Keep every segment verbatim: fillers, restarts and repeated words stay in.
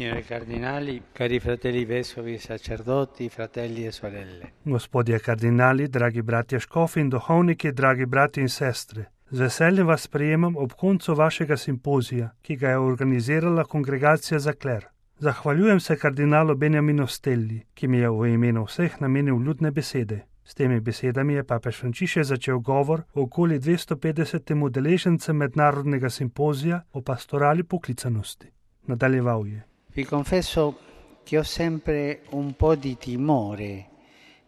Signori cardinali, cari fratelli vescovi, sacerdoti, fratelli e sorelle. Gospodje kardinali, dragi bratje škofi in duhovniki, dragi brati in sestre, z veseljem vas sprejemam ob koncu vašega simpozija, ki ga je organizirala Kongregacija za kler. Zahvaljujem se kardinalu Benjaminu Stelli, ki mi je v imenu vseh namenil ljudne besede. S temi besedami je papež Frančišek začel govor o okoli dvesto petdesetim udeležencem mednarodnega simpozija o pastorali poklicanosti. Nadaljeval je. Vi confesso che ho sempre un po' di timore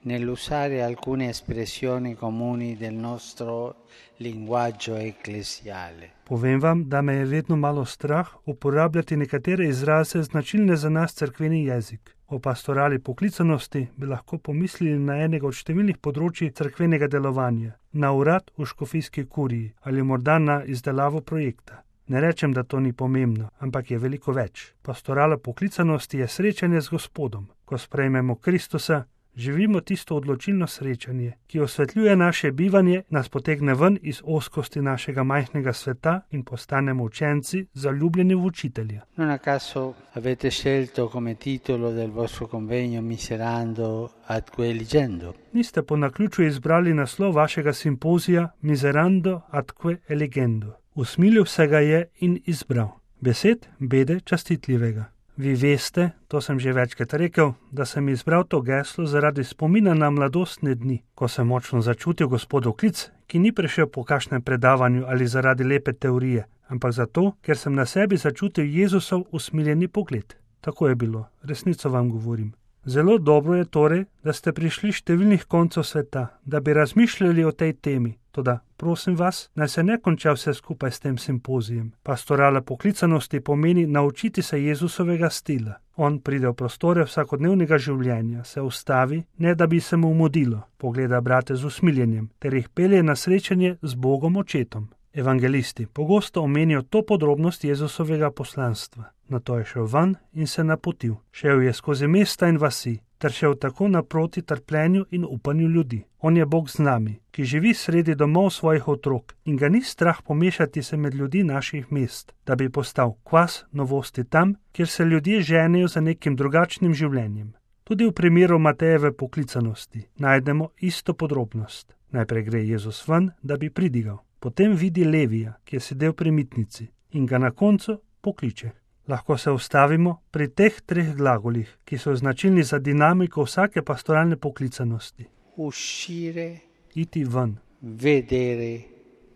nell'usare alcune espressioni comuni del nostro linguaggio ecclesiale. Povem vam, da me je vedno malo strah uporabljati nekatere izraze značilne za nas cerkveni jezik. O pastorali poklicanosti bi lahko pomislili na enega od številnih področji cerkvenega delovanja, na urad v škofijski kuriji ali morda na izdelavo projekta. Ne rečem, da to ni pomembno, ampak je veliko več. Pastorala poklicanosti je srečanje z Gospodom. Ko sprejmemo Kristusa, živimo tisto odločilno srečanje, ki osvetljuje naše bivanje, nas potegne ven iz ozkosti našega majhnega sveta in postanemo učenci, zaljubljeni v učitelja. Non a caso avete scelto come titolo del vostro convegno Miserando atque eligendo. Niste po naključju izbrali naslov vašega simpozija Miserando atque eligendo. Usmilil se ga je in izbral. Besed bede častitljivega. Vi veste, to sem že večkrat rekel, da sem izbral to geslo zaradi spomina na mladostne dni, ko sem močno začutil Gospodov klic, ki ni prišel po kakšnem predavanju ali zaradi lepe teorije, ampak zato, ker sem na sebi začutil Jezusov usmiljeni pogled. Tako je bilo, resnico vam govorim. Zelo dobro je torej, da ste prišli številnih koncev sveta, da bi razmišljali o tej temi. Toda, prosim vas, naj se ne konča vse skupaj s tem simpozijem. Pastorala poklicanosti pomeni naučiti se Jezusovega stila. On pride v prostore vsakodnevnega življenja, se ustavi, ne da bi se mu mudilo, pogleda brate z usmiljenjem, ter jih pelje na srečanje z Bogom Očetom. Evangelisti pogosto omenijo to podrobnost Jezusovega poslanstva. Nato je šel ven in se napotil. Šel je skozi mesta in vasi, ter šel tako naproti trpljenju in upanju ljudi. On je Bog z nami, ki živi sredi domov svojih otrok in ga ni strah pomešati se med ljudi naših mest, da bi postal kvas novosti tam, kjer se ljudje ženejo za nekim drugačnim življenjem. Tudi v primeru Matejeve poklicanosti najdemo isto podrobnost. Najprej gre Jezus ven, da bi pridigal. Potem vidi Levija, ki je sedel pri mitnici, in ga na koncu pokliče. Lahko se ustavimo pri teh treh glagolih, ki so značilni za dinamiko vsake pastoralne poklicanosti. Uscire, iti ven, vedere,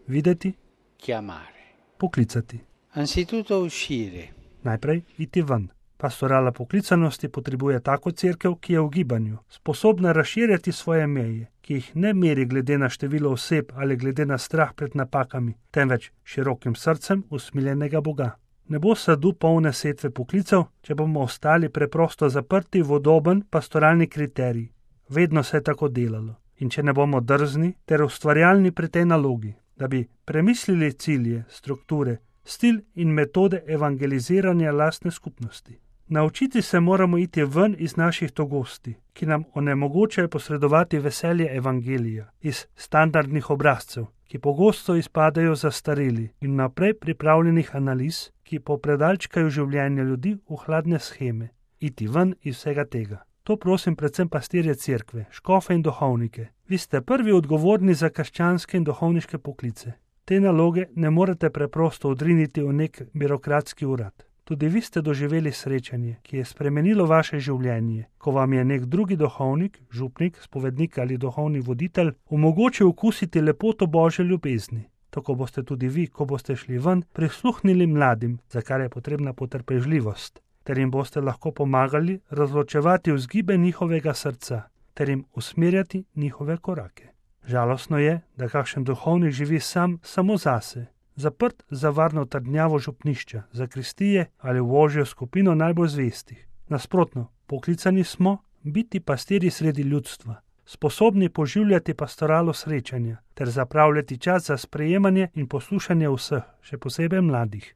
videti, chiamare. Poklicati. Anzitutto uscire. Najprej iti ven. Pastorala poklicanosti potrebuje tako cerkev, ki je v gibanju, sposobna razširjati svoje meje, ki jih ne meri glede na število oseb ali glede na strah pred napakami, temveč širokim srcem usmiljenega Boga. Ne bo sadu polne setve poklicev, če bomo ostali preprosto zaprti v udoben pastoralni kriterij. Vedno se je tako delalo. In če ne bomo drzni ter ustvarjalni pri tej nalogi, da bi premislili cilje, strukture, stil in metode evangeliziranja lastne skupnosti. Naučiti se moramo iti ven iz naših togosti, ki nam onemogočajo posredovati veselje evangelija, iz standardnih obrazcev, ki pogosto izpadajo zastareli in naprej pripravljenih analiz, ki popredalčkajo življenje ljudi v hladne sheme. Iti ven iz vsega tega. To prosim predvsem pastirje cerkve, škofe in duhovnike. Vi ste prvi odgovorni za krščanske in duhovniške poklice. Te naloge ne morete preprosto odriniti v nek birokratski urad. Tudi vi ste doživeli srečanje, ki je spremenilo vaše življenje, ko vam je nek drugi duhovnik, župnik, spovednik ali duhovni voditelj omogočil okusiti lepoto Božje ljubezni. Tako boste tudi vi, ko boste šli ven, prisluhnili mladim, za kar je potrebna potrpežljivost, ter jim boste lahko pomagali razločevati vzgibe njihovega srca, ter jim usmerjati njihove korake. Žalostno je, da kakšen duhovnik živi sam samo zase, zaprt za varno trdnjavo župnišča, zakristije ali v ožjo skupino najbolj zvestih. Nasprotno, poklicani smo biti pastirji sredi ljudstva, sposobni poživljati pastoralo srečanja ter zapravljati čas za sprejemanje in poslušanje vseh, še posebej mladih.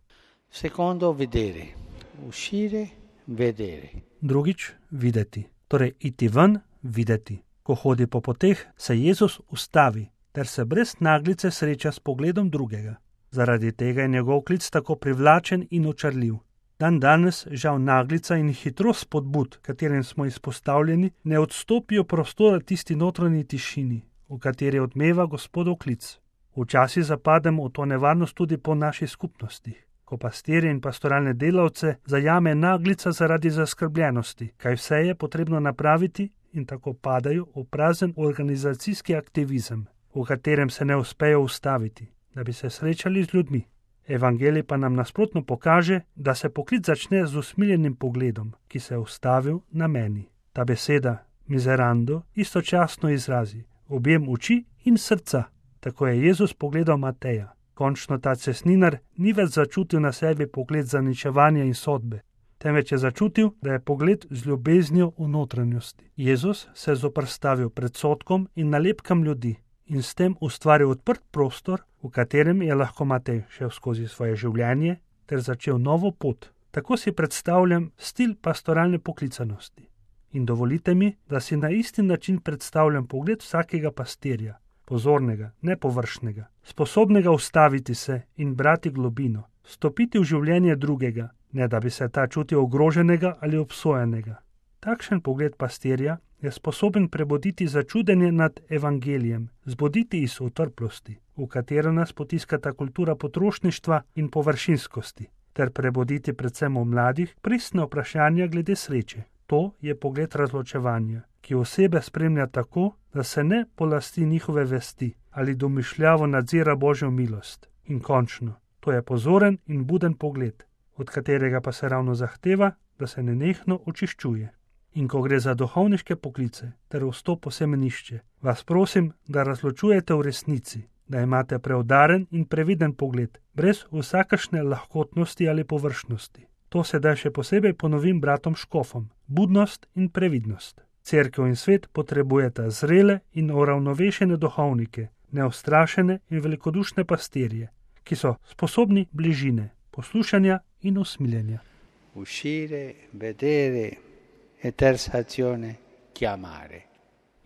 Secondo, vedere. Uscire, vedere. Drugič, videti. Torej, iti ven, videti. Ko hodi po poteh, se Jezus ustavi, ter se brez naglice sreča s pogledom drugega. Zaradi tega je njegov klic tako privlačen in očarljiv. Dan danes žal naglica in hitrost spodbud, katerim smo izpostavljeni, ne odstopijo prostora tisti notranji tišini, v kateri odmeva Gospodov klic. Včasih zapademo v to nevarnost tudi po naših skupnostih, ko pastirje in pastoralne delavce zajame naglica zaradi zaskrbljenosti, kaj vse je potrebno napraviti, in tako padajo v prazen organizacijski aktivizem, v katerem se ne uspejo ustaviti, da bi se srečali z ljudmi. Evangelij pa nam nasprotno pokaže, da se poklic začne z usmiljenim pogledom, ki se je ustavil na meni. Ta beseda, miserando, istočasno izrazi objem oči in srca. Tako je Jezus pogledal Mateja. Končno ta cestninar ni več začutil na sebi pogled zaničevanja in sodbe, temveč je začutil, da je pogled z ljubeznijo v notranjosti. Jezus se je zoperstavil predsodkom in nalepkam ljudi in s tem ustvaril odprt prostor, v katerem je lahko Matej šel skozi svoje življenje ter začel novo pot. Tako si predstavljam stil pastoralne poklicanosti. In dovolite mi, da si na isti način predstavljam pogled vsakega pastirja, pozornega, nepovršnega, sposobnega ustaviti se in brati globino, stopiti v življenje drugega, ne da bi se ta čutil ogroženega ali obsojenega. Takšen pogled pastirja je sposoben prebuditi začudenje nad evangelijem, zbuditi iz utrplosti, v katero nas potiskata kultura potrošništva in površinskosti, ter prebuditi predvsem v mladih pristne vprašanja glede sreče. To je pogled razločevanja, ki osebe spremlja tako, da se ne polasti njihove vesti ali domišljavo nadzira Božjo milost. In končno, to je pozoren in buden pogled, od katerega pa se ravno zahteva, da se nenehno očiščuje. In ko gre za duhovniške poklice ter vstop v semenišče, vas prosim, da razločujete v resnici, da imate preudaren in previden pogled, brez vsakršne lahkotnosti ali površnosti. To sedaj še posebej ponovim bratom škofom, budnost in previdnost. Cerkev in svet potrebujeta zrele in uravnovešene duhovnike, neustrašene in velikodušne pastirje, ki so sposobni bližine, poslušanja in usmiljenja. Uscire, vedere, e terza azione, chiamare.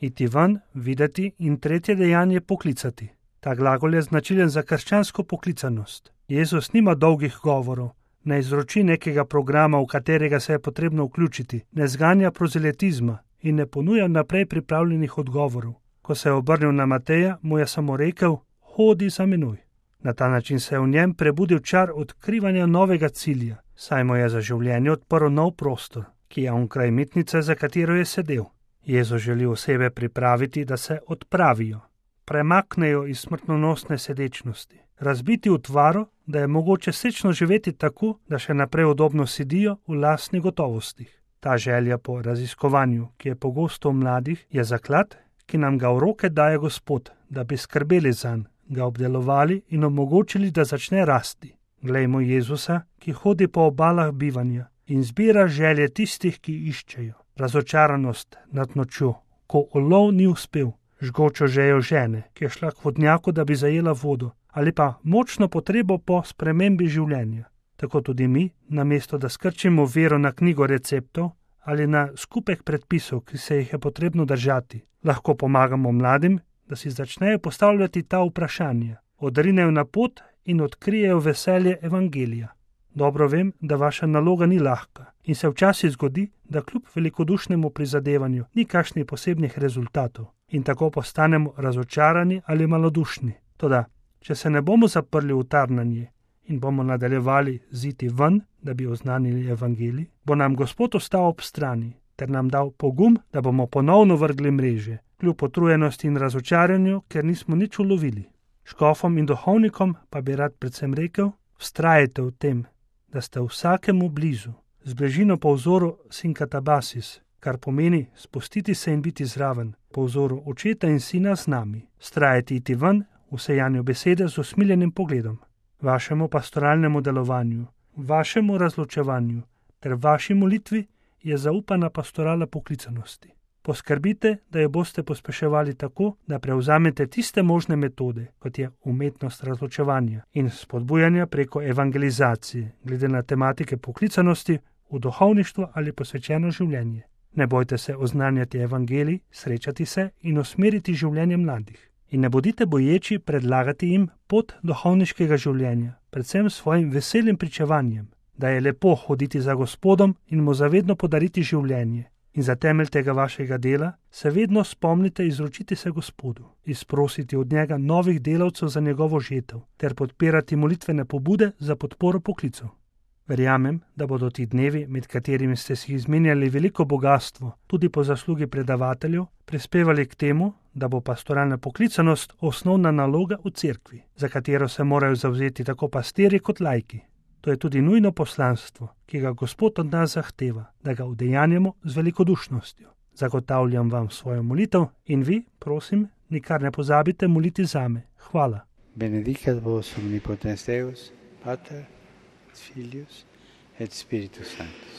Iti ven, videti in tretje dejanje poklicati. Ta glagol je značilen za krščansko poklicanost. Jezus nima dolgih govorov, ne izroči nekega programa, v katerega se je potrebno vključiti, ne zganja prozelitizma in ne ponuja naprej pripravljenih odgovorov. Ko se je obrnil na Mateja, mu je samo rekel, hodi za menoj. Na ta način se je v njem prebudil čar odkrivanja novega cilja, saj mu je za življenje odprl nov prostor, ki je onkraj mitnice, za katero je sedel. Jezus želi osebe pripraviti, da se odpravijo, premaknejo iz smrtonosne sedečnosti, razbiti utvaro, da je mogoče sečno živeti tako, da še naprej udobno sedijo v lastnih gotovostih. Ta želja po raziskovanju, ki je pogosto v mladih, je zaklad, ki nam ga v roke daje Gospod, da bi skrbeli zanj, ga obdelovali in omogočili, da začne rasti. Glejmo Jezusa, ki hodi po obalah bivanja in zbira želje tistih, ki iščejo. Razočaranost nad nočjo, ko ulov ni uspel, žgočo žejo žene, ki je šla k vodnjaku, da bi zajela vodo, ali pa močno potrebo po spremembi življenja. Tako tudi mi, namesto da skrčimo vero na knjigo receptov ali na skupek predpisov, ki se jih je potrebno držati, lahko pomagamo mladim, da si začnejo postavljati ta vprašanja, odrinejo na pot in odkrijejo veselje evangelija. Dobro vem, da vaša naloga ni lahka in se včasih zgodi, da kljub velikodušnemu prizadevanju ni kakšnih posebnih rezultatov in tako postanemo razočarani ali malodušni. Toda, če se ne bomo zaprli v tarnanje in bomo nadaljevali ziti ven, da bi oznanili evangelij, bo nam Gospod ostal ob strani ter nam dal pogum, da bomo ponovno vrgli mreže, kljub potrujenosti in razočaranju, ker nismo nič ulovili. Škofom in duhovnikom pa bi rad predvsem rekel, vztrajajte v tem, da ste vsakemu blizu, z bližino po vzoru sinkatabasis, kar pomeni spustiti se in biti zraven, po vzoru očeta in sina z nami, vztrajati iti ven v sejanju besede z usmiljenim pogledom. Vašemu pastoralnemu delovanju, vašemu razločevanju ter vaši molitvi je zaupana pastorala poklicanosti. Poskrbite, da jo boste pospeševali tako, da prevzamete tiste možne metode, kot je umetnost razločevanja in spodbujanja preko evangelizacije, glede na tematike poklicanosti v duhovništvo ali posvečeno življenje. Ne bojte se oznanjati evangelij, srečati se in usmeriti življenje mladih. In ne bodite boječi predlagati jim pot duhovniškega življenja, predvsem svojim veselim pričevanjem. da je lepo hoditi za Gospodom in mu zavedno podariti življenje. In za temelj tega vašega dela se vedno spomnite izročiti se Gospodu, izprositi od njega novih delavcev za njegovo žetev ter podpirati molitvene pobude za podporo poklicu. Verjamem, da bodo ti dnevi, med katerimi ste si izmenjali veliko bogatstvo, tudi po zaslugi predavateljev, prispevali k temu, da bo pastoralna poklicanost osnovna naloga v cerkvi, za katero se morajo zavzeti tako pastirji kot laiki. To je tudi nujno poslanstvo, ki ga Gospod od nas zahteva, da ga udejanjamo z velikodušnostjo. Zagotavljam vam svojo molitev in vi, prosim, nikar ne pozabite moliti zame. Hvala. Benedicat vos omnipotens Deus, Pater, Filius et Spiritus Sanctus.